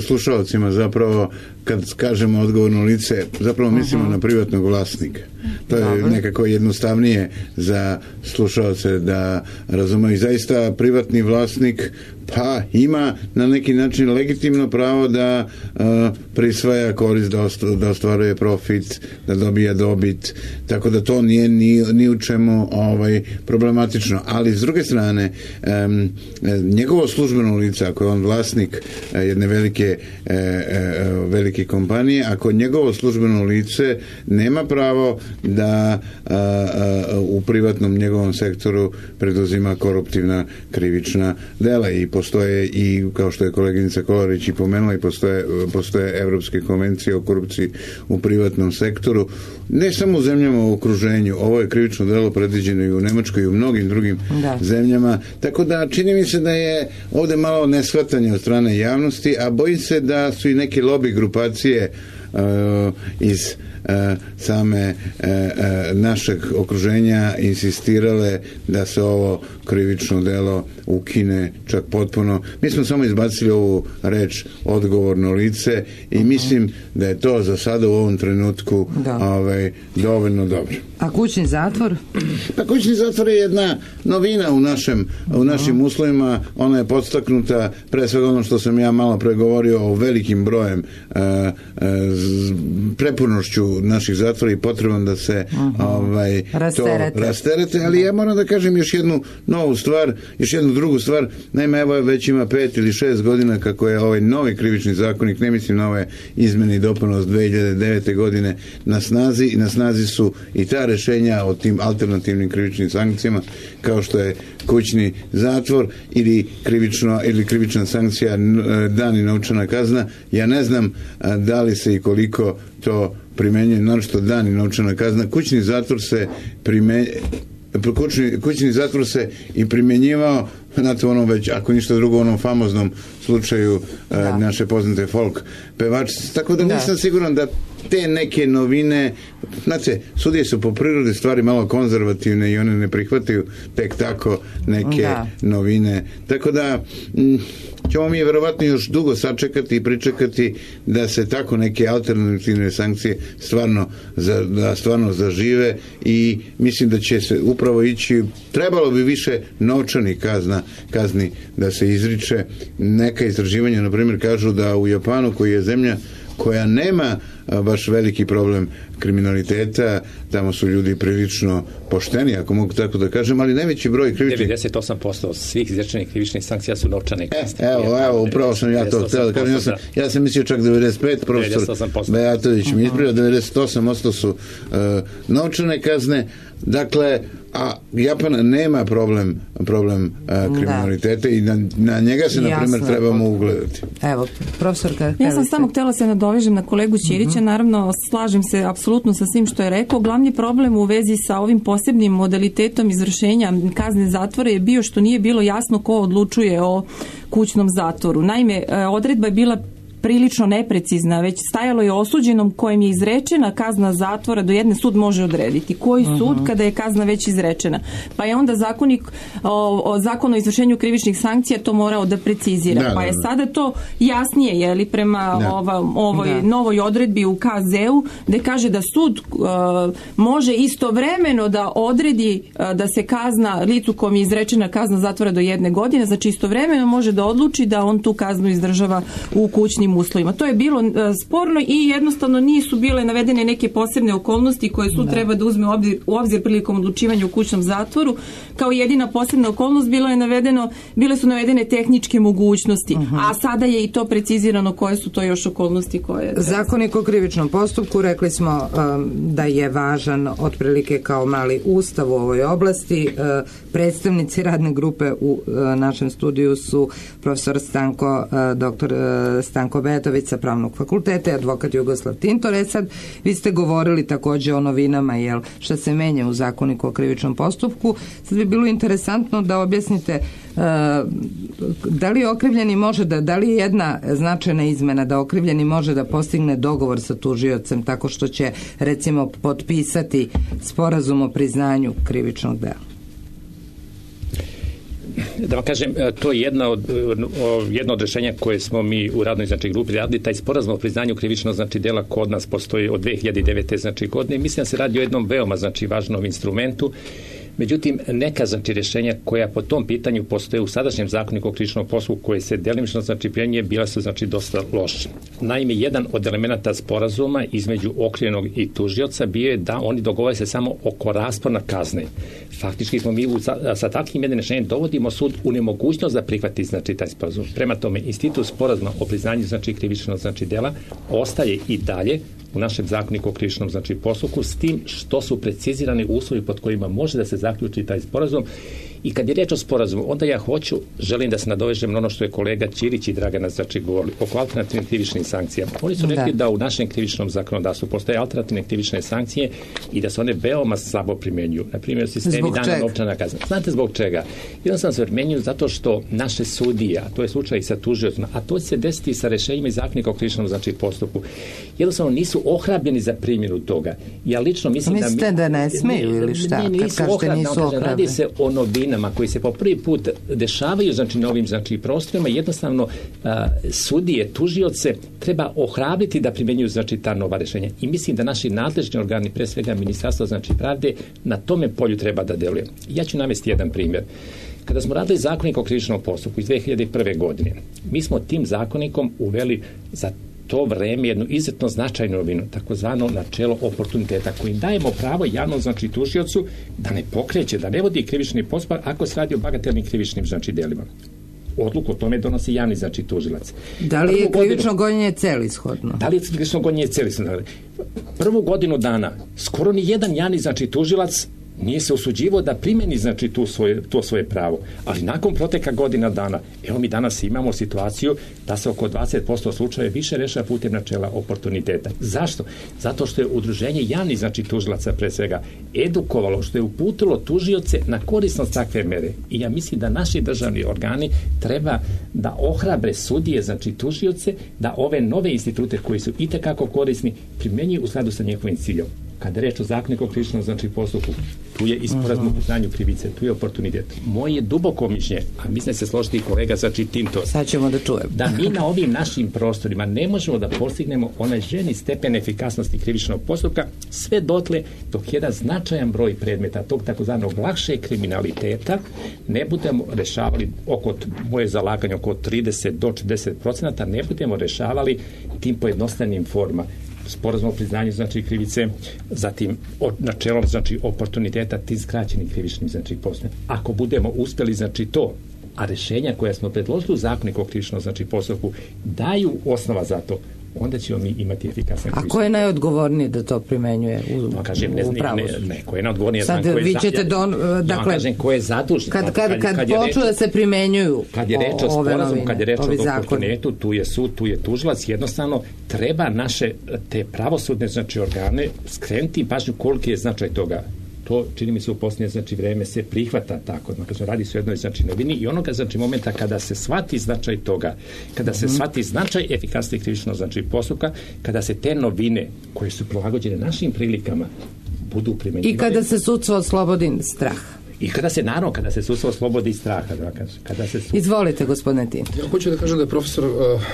slušalcima zapravo, kad kažemo odgovorno lice, zapravo mislimo na privatnog vlasnika. To je nekako jednostavnije za slušalce da razumeju. Zaista privatni vlasnik pa ima na neki način legitimno pravo da prisvaja korist, da ostvaruje profit, da dobija dobit, tako da to nije ni u čemu problematično. Ali s druge strane, njegovo službeno lice, ako je on vlasnik jedne velike kompanije, ako njegovo službeno lice nema pravo da u privatnom njegovom sektoru preduzima koruptivna krivična dela, i postoje, i kao što je koleginica Kolarić i pomenula, i postoje evropske konvencije o korupciji u privatnom sektoru, ne samo u zemljama u okruženju. Ovo je krivično delo predviđeno i u Nemačkoj i u mnogim drugim zemljama, tako da čini mi se da je ovde malo neshvatanje od strane javnosti, a bojim se da su i neke lobby grupacije iz same našeg okruženja insistirale da se ovo krivično delo ukine čak potpuno. Mi smo samo izbacili ovu reč odgovorno lice i mislim da je to za sada u ovom trenutku dovoljno dobro. A kućni zatvor? Pa kućni zatvor je jedna novina u našim uslovima. Ona je podstaknuta pre svega ono što sam ja malo pregovorio o velikim brojem prepunošću naših zatvora i potrebom da se to rasterete, ali ja moram da kažem još jednu novu stvar, još jednu drugu stvar. Naime, evo već ima 5 ili 6 godina kako je ovaj novi krivični zakonik, ne mislim na ove izmene i dopune od 2009. godine, na snazi, i na snazi su i ta rešenja o tim alternativnim krivičnim sankcijama, kao što je kućni zatvor ili krivična sankcija dan i novčana kazna. Ja ne znam da li se i koliko to primenjuje, naročito dan i novčana kazna. Kućni zatvor se i primjenjivao, znate, ono već, ako ništa drugo, u onom famoznom slučaju naše poznate folk pevačice. Tako da nisam siguran da te neke novine, znate, sudije su po prirodi stvari malo konzervativne i one ne prihvataju tek tako neke novine. Tako da ćemo mi verovatno još dugo sačekati i pričekati da se tako neke alternativne sankcije stvarno zažive, i mislim da će se upravo ići, trebalo bi više novčanih kazni da se izriče. Neka istraživanja, na primjer, kažu da u Japanu, koji je zemlja koja nema baš veliki problem kriminaliteta, tamo su ljudi prilično pošteni, ako mogu tako da kažem, ali najveći broj krivičnih... 98% svih izrečenih krivičnih sankcija su novčane kazne. Evo, upravo sam ja to htio da kažem. Ja sam mislio čak 95%, profesor Bejatović mi ispravio, 98% su novčane kazne. Dakle, a Japan nema problem kriminaliteta i na njega se, na primjer, trebamo ugledati. Evo, profesorka. Ja sam samo htjela se nadovežem na kolegu Ćirića. Naravno, slažem se apsolutno sa svim što je rekao. Glavni problem u vezi sa ovim posebnim modalitetom izvršenja kazne zatvora je bio što nije bilo jasno ko odlučuje o kućnom zatvoru. Naime, odredba je bila prilično neprecizna, već stajalo je osuđenom kojem je izrečena kazna zatvora do jedne sud može odrediti. Koji sud kada je kazna već izrečena? Pa je onda zakon o izvršenju krivičnih sankcija to morao da precizira. Pa je sada to jasnije, je li, prema ovoj novoj odredbi u KZ-u, gde kaže da sud može istovremeno da odredi da se kazna licu kom je izrečena kazna zatvora do 1 godine, znači istovremeno može da odluči da on tu kaznu izdržava u kućnim tim uslovima. To je bilo sporno i jednostavno nisu bile navedene neke posebne okolnosti koje sud treba da uzme u obzir prilikom odlučivanja u kućnom zatvoru. Kao jedina posebna okolnost bile su navedene tehničke mogućnosti, a sada je i to precizirano koje su to još okolnosti koje... Zakonik o krivičnom postupku, rekli smo da je važan otprilike kao mali ustav u ovoj oblasti. Predstavnici radne grupe u našem studiju su profesor dr. Stanko Betović sa Pravnog fakulteta i advokat Jugoslav Tintor. Sad, vi ste govorili takođe o novinama, šta se menja u Zakoniku o krivičnom postupku. Sad bi bilo interesantno da objasnite da li okrivljeni da li je jedna značajna izmena da okrivljeni može da postigne dogovor sa tužiocem tako što će recimo potpisati sporazum o priznanju krivičnog dela? Da vam kažem, to je jedno od rješenja koje smo mi u radnoj grupi radili. Taj sporazum o priznanju krivičnog dela kod nas postoji od 2009. godine. Mislim da se radi o jednom veoma važnom instrumentu. Međutim, neka rješenja koja po tom pitanju postoje u sadašnjem Zakoniku o krivičnom postupku koje se delimično primjenjuje bila su dosta loše. Naime, jedan od elemenata sporazuma između okrivljenog i tužioca bio je da oni dogovore se samo oko raspona kazne. Faktički smo mi sa takvim jednim rješenjem dovodimo sud u nemogućnost da prihvati taj sporazum. Prema tome, institut sporazuma o priznanju krivičnog dela ostaje i dalje u našem Zakoniku o krivičnom postupku, s tim što su precizirani uslovi pod kojima može da se zaključi taj sporazum. I kad je riječ o sporazumu, onda ja želim da se nadovežem na ono što je kolega Ćirić i Dragana govorili oko alternativnih krivičnih sankcija. Oni su rekli da u našem krivičnom zakonodavstvu postoje alternativne krivične sankcije i da se one veoma slabo primjenjuju. Na primjer, sistemi dana novčana kazna. Znate zbog čega? Jednostavno se primjenjuju zato što naše sudije, a to je slučaj i sa tužiocima, a to će se desiti sa rješenjima iz Zakonika o krivičnom postupku, jednostavno nisu ohrabljeni za primjenu toga. Ja lično mislim mislite da ne smiju ili šta? Nisu ohrabljeni. Radi se o novinama koji se po prvi put dešavaju na ovim prostorima. Jednostavno sudije, tužioce treba ohrabriti da primjenjuju ta nova rješenja. I mislim da naši nadležni organi, pre svega Ministarstvo pravde, na tome polju treba da deluje. Ja ću navesti jedan primjer. Kada smo radili Zakonik o krivičnom postupku iz 2001. godine, mi smo tim zakonikom uveli za to vreme jednu izuzetno značajnu novinu, takozvano načelo oportuniteta, kojim dajemo pravo javnom tužiocu da ne pokreće, da ne vodi krivični postupak ako se radi o bagatelnim krivičnim delima. Odluku o tome donosi javni tužilac. Da li je krivično gonjenje celishodno? Da li je krivično gonjenje celishodno? Prvu godinu dana skoro ni jedan javni tužilac nije se usuđivao da primjeni to svoje pravo. Ali nakon proteka godina dana, evo mi danas imamo situaciju da se oko 20% slučaja više rešava putem načela oportuniteta. Zašto? Zato što je udruženje javnih tužilaca pre svega edukovalo, što je uputilo tužioce na korisnost takve mere. I ja mislim da naši državni organi treba da ohrabre sudije, tužioce, da ove nove institute koji su itekako korisni primjenjuju u skladu sa njihovim ciljom. Kada je reč o Zakoniku o krivičnom postupku, tu je i sporazum o priznanju krivice, tu je oportunitet. Moje duboko mišljenje, a mislim da se složiti i kolega Tintor, sad ćemo da čujemo, da mi na ovim našim prostorima ne možemo da postignemo onaj željeni stepen efikasnosti krivičnog postupka sve dotle dok jedan značajan broj predmeta tog takozvanog lakšeg kriminaliteta ne budemo rešavali moje zalaganje oko 30 do 40%, ne budemo rešavali tim pojednostavnim formama. Sporazum o priznanju krivice, zatim načelom oportuniteta tim skraćenim krivičnim postupkom. Ako budemo uspjeli to, a rješenja koja smo predložili u Zakoniku o krivičnom postupku daju osnova za to, onda ćemo mi imati efikasan krivični. A ko je najodgovorniji da to primenjuje u pravosuđu? Ko je najodgovorniji? Sad vi ćete ko je zadužen. Kad počnu da se primenjuju kad je reč o sporazumu, kad je reč o oportunitetu, tu je sud, tu je tužilac, jednostavno treba naše te pravosudne organe skrenuti pažnju koliki je značaj toga. To, čini mi se, u posljednje vreme se prihvata tako. Radi se o jednoj novini i onoga momenta kada se shvati značaj toga, kada se shvati značaj efikasnosti krivičnog postupka, kada se te novine koje su prilagođene našim prilikama budu primjenjivane. I kada se sudstvo oslobodi straha. I kada se sudstvo oslobodi straha. Izvolite, gospodine Tintor. Ja hoću da kažem da je profesor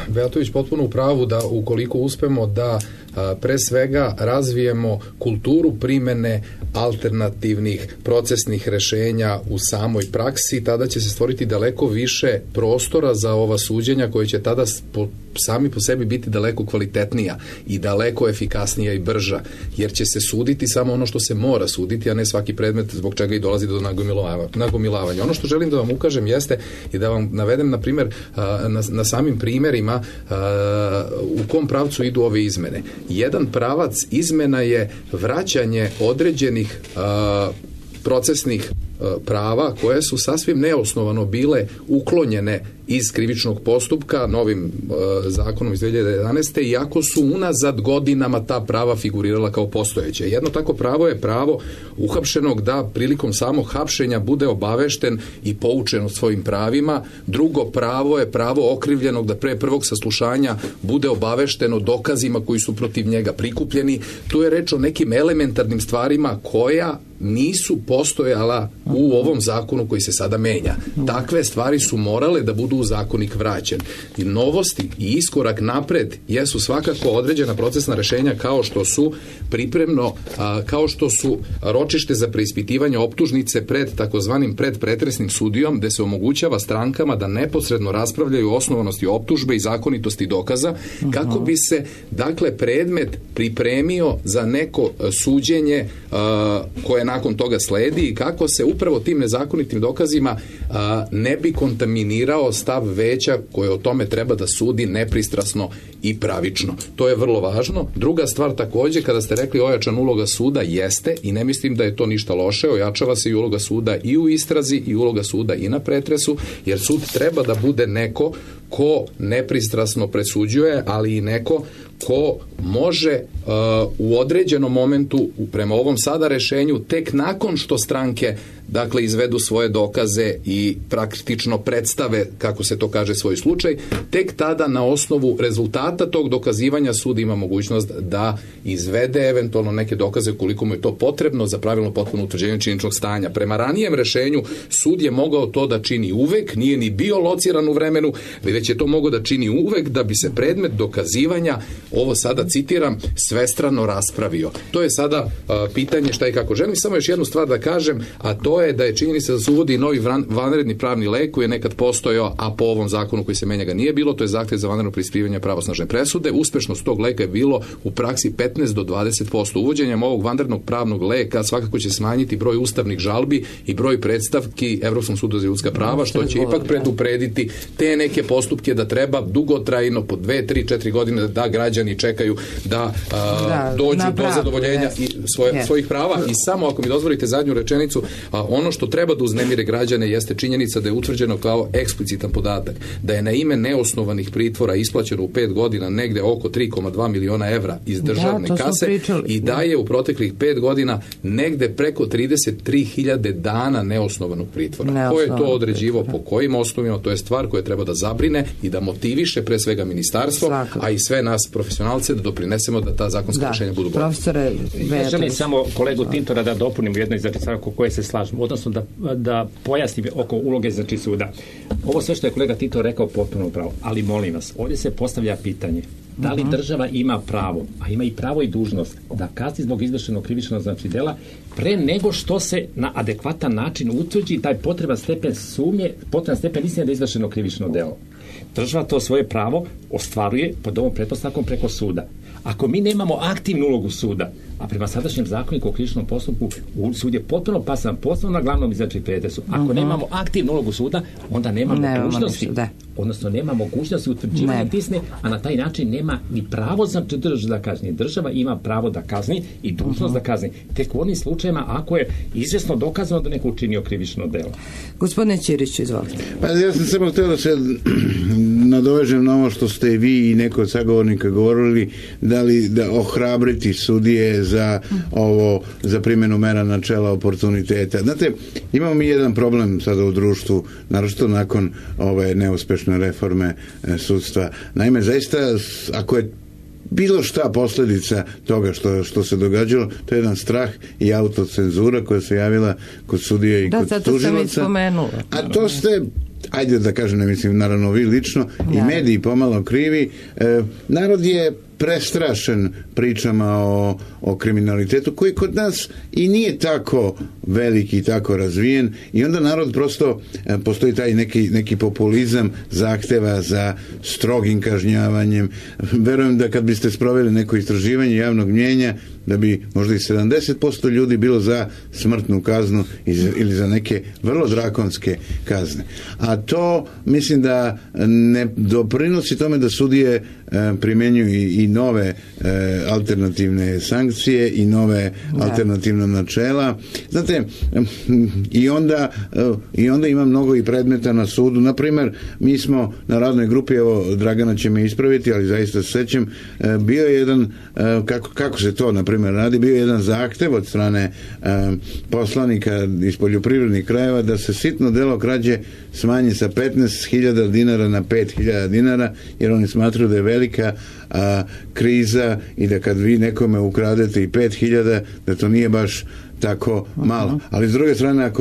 Bejatović potpuno u pravu da ukoliko uspemo da pre svega razvijemo kulturu primene alternativnih procesnih rešenja u samoj praksi, tada će se stvoriti daleko više prostora za ova suđenja koje će tada sami po sebi biti daleko kvalitetnija i daleko efikasnija i brža, jer će se suditi samo ono što se mora suditi, a ne svaki predmet zbog čega i dolazi do nagomilavanja. Ono što želim da vam ukažem jeste i da vam navedem, na primjer, na samim primjerima u kom pravcu idu ove izmene. Jedan pravac izmena je vraćanje određenih procesnih prava koje su sasvim neosnovano bile uklonjene iz krivičnog postupka novim zakonom iz 2011. iako su unazad godinama ta prava figurirala kao postojeće. Jedno tako pravo je pravo uhapšenog da prilikom samog hapšenja bude obavešten i poučen o svojim pravima. Drugo pravo je pravo okrivljenog da pre prvog saslušanja bude obavešten o dokazima koji su protiv njega prikupljeni. Tu je reč o nekim elementarnim stvarima koja nisu postojala u ovom zakonu koji se sada menja. Takve stvari su morale da budu u zakonik vraćen. I novosti i iskorak napred jesu svakako određena procesna rešenja kao što su pripremno, kao što su ročište za preispitivanje optužnice pred takozvanim predpretresnim sudijom, gde se omogućava strankama da neposredno raspravljaju o osnovanosti optužbe i zakonitosti dokaza, kako bi se, dakle, predmet pripremio za neko suđenje koje nakon toga sledi i kako se upravo tim nezakonitim dokazima ne bi kontaminirao stav veća koje o tome treba da sudi nepristrasno i pravično. To je vrlo važno. Druga stvar takođe, kada ste rekli ojačan uloga suda, jeste, i ne mislim da je to ništa loše, ojačava se i uloga suda i u istrazi i uloga suda i na pretresu, jer sud treba da bude neko ko nepristrasno presuđuje, ali i neko ko može u određenom momentu, prema ovom sada rešenju, tek nakon što stranke, dakle, izvedu svoje dokaze i praktično predstave, kako se to kaže, svoj slučaj, tek tada na osnovu rezultata tog dokazivanja sud ima mogućnost da izvede eventualno neke dokaze koliko mu je to potrebno za pravilno potpuno utvrđenje činjeničnog stanja. Prema ranijem rešenju sud je mogao to da čini uvek, nije ni bio lociran u vremenu, već je to mogao da čini uvek da bi se predmet dokazivanja, ovo sada citiram, svestrano raspravio. To je sada pitanje šta i kako. Želim samo još jednu stvar da kažem, a to je da je činjenica da se uvodi novi vanredni pravni lek koji je nekad postojao, a po ovom zakonu koji se menja ga nije bilo, to je zahtev za vanredno preispitivanje pravosnažne presude. Uspešnost tog leka je bilo u praksi 15 do 20%. Uvođenjem ovog vanrednog pravnog leka svakako će smanjiti broj ustavnih žalbi i broj predstavki Evropskom sudu za ljudska prava, što će ipak preduprediti te neke postupke da treba dugotrajno po 2, 3, 4 godine da građani čekaju da dođu do zadovoljenja i svojih prava. I samo ako mi dozvolite zadnju rečenicu, ono što treba da uznemire građane jeste činjenica da je utvrđeno kao eksplicitan podatak da je na ime neosnovanih pritvora isplaćeno u 5 godina negde oko 3,2 miliona evra iz državne kase i da je u proteklih 5 godina negde preko 33.000 dana neosnovanog pritvora. Ko je to određivo, po kojim osnovima, to je stvar koja treba da zabrine i da motiviše pre svega ministarstvo, a i sve nas profesionalce da doprinesemo da ta zakonska rešenja budu bolje. Profesore, želim samo kolegu Tintora da dopunim u jednoj stvari oko koje se slažem, odnosno da pojasnim oko uloge suda. Ovo sve što je kolega Tintor rekao potpuno pravo, ali molim vas, ovdje se postavlja pitanje da li država ima pravo, a ima i pravo i dužnost, da kazni zbog izvršenog krivičnog dela pre nego što se na adekvatan način utvrdi taj potreban stepen sumnje, potreban stepen istine da je izvršeno krivično delo. Država to svoje pravo ostvaruje pod ovom pretpostavkom preko suda. Ako mi nemamo aktivnu ulogu suda, a prema sadašnjem zakoniku o krivičnom postupku sud je potpuno pasan, posebno na glavnom izvršnom pretresu. Ako nemamo aktivnu ulogu suda, onda nema mogućnosti, odnosno nema mogućnosti utvrđivanja istine, a na taj način nema ni pravo za državu da kazni. Država ima pravo da kazni i dužnost da kazni. Tek u onim slučajima ako je izvjesno dokazano da neko učinio krivično delo. Gospodine Ćirić, izvolite. Pa ja sam samo htio da se nadovežem na ovo što ste vi i neko od sagovornika govorili, da ohrabriti sudije za primjenu mera načela oportuniteta. Znate, imamo mi jedan problem sada u društvu, naročito nakon ove neuspešne reforme sudstva. Naime, zaista, ako je bilo šta posljedica toga što se događalo, to je jedan strah i autocenzura koja se javila kod sudija i kod tužilaca. A to ste, ajde da kažem, ne mislim naravno vi lično, i mediji pomalo krivi. Narod je prestrašen pričama o kriminalitetu koji kod nas i nije tako veliki i tako razvijen i onda narod prosto postoji taj neki populizam zahteva za strogim kažnjavanjem. Verujem da kad biste sproveli neko istraživanje javnog mnjenja da bi možda i 70% ljudi bilo za smrtnu kaznu ili za neke vrlo drakonske kazne. A to mislim da ne doprinosi tome da sudije primjenjuju i nove alternativne sankcije i nove alternativna načela. Znate, i onda ima mnogo i predmeta na sudu. Naprimer, mi smo na radnoj grupi, evo Dragana će me ispraviti, ali zaista se sećam, bio je jedan, kako se to na primjer radi, bio je jedan zahtev od strane poslanika iz poljoprivrednih krajeva da se sitno delo krađe smanji sa 15.000 dinara na 5.000 dinara, jer oni smatruju da je velika kriza i da kad vi nekome ukradete i 5.000, da to nije baš tako malo. Ali s druge strane,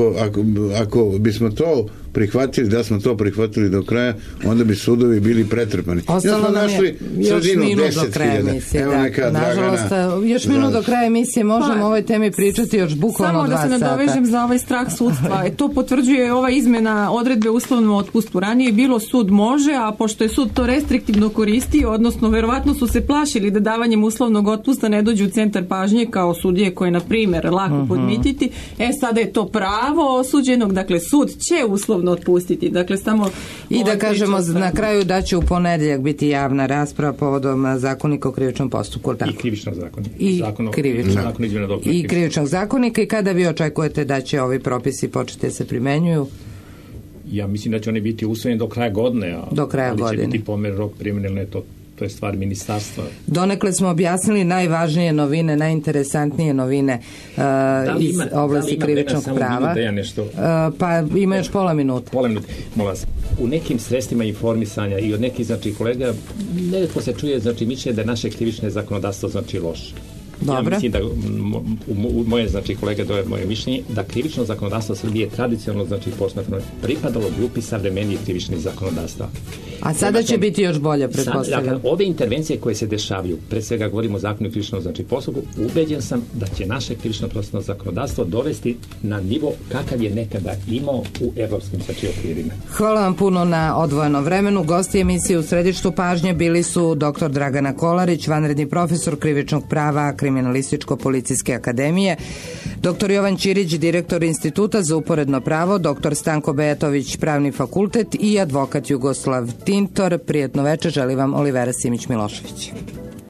ako bismo to prihvatili, da smo to prihvatili do kraja, onda bi sudovi bili pretrpani. Ostalo nam je još minut do kraja emisije. Nažalost, još minut do kraja emisije možemo o ovoj temi pričati još bukvalno 2 sata. Samo da se nadovežem za ovaj strah sudstva. To potvrđuje ova izmena odredbe uslovnom otpustu. Ranije bilo sud može, a pošto je sud to restriktivno koristio, odnosno verovatno su se plašili da davanjem uslovnog otpusta ne dođu u centar pažnje kao sudije koje, na primjer, lako podmititi. Sada je to pravo osuđenog, dakle sud će uslovno otpustiti. Dakle, samo i da kažemo na kraju da će u ponedjeljak biti javna rasprava povodom zakonika o krivičnom postupku. I krivičnog zakonika. I krivičnog zakonika. I kada vi očekujete da će ovi propisi početi se primenjuju? Ja mislim da će oni biti usvojeni do kraja godine. Do kraja godine. Će biti pomjer rok primjene, to je stvar ministarstva. Donekle smo objasnili najvažnije novine, najinteresantnije novine iz oblasti krivičnog prava. Pa ima još pola minuta. Molim vas, u nekim sredstvima informisanja i od nekih kolega nekako se čuje mišljenje da je naše krivično zakonodavstvo loše. Dobro. Ja mislim da moje kolega, to je moje mišljenje, da krivično zakonodavstvo Srbije tradicionalno posmatrano pripadalo grupi savremenijih krivičnih zakonodavstva. A sada će biti još bolje, pretpostavljam. Ove intervencije koje se dešavaju, pre svega govorimo o zakonu o krivičnom postupku, ubeđen sam da će naše krivično procesno zakonodavstvo dovesti na nivo kakav je nekada imao u evropskim okvirima. Hvala vam puno na odvojenom vremenu. Gosti emisije u središtu pažnje bili su dr. Dragana Kolarić, vanredni profesor krivičnog prava Kriminalističko-policijske akademije, dr. Jovan Ćirić, direktor Instituta za uporedno pravo, dr. Stanko Bejatović, pravni fakultet i advokat Jugoslav Tintor. Prijetno večer, želi vam Olivera Simić-Milošević.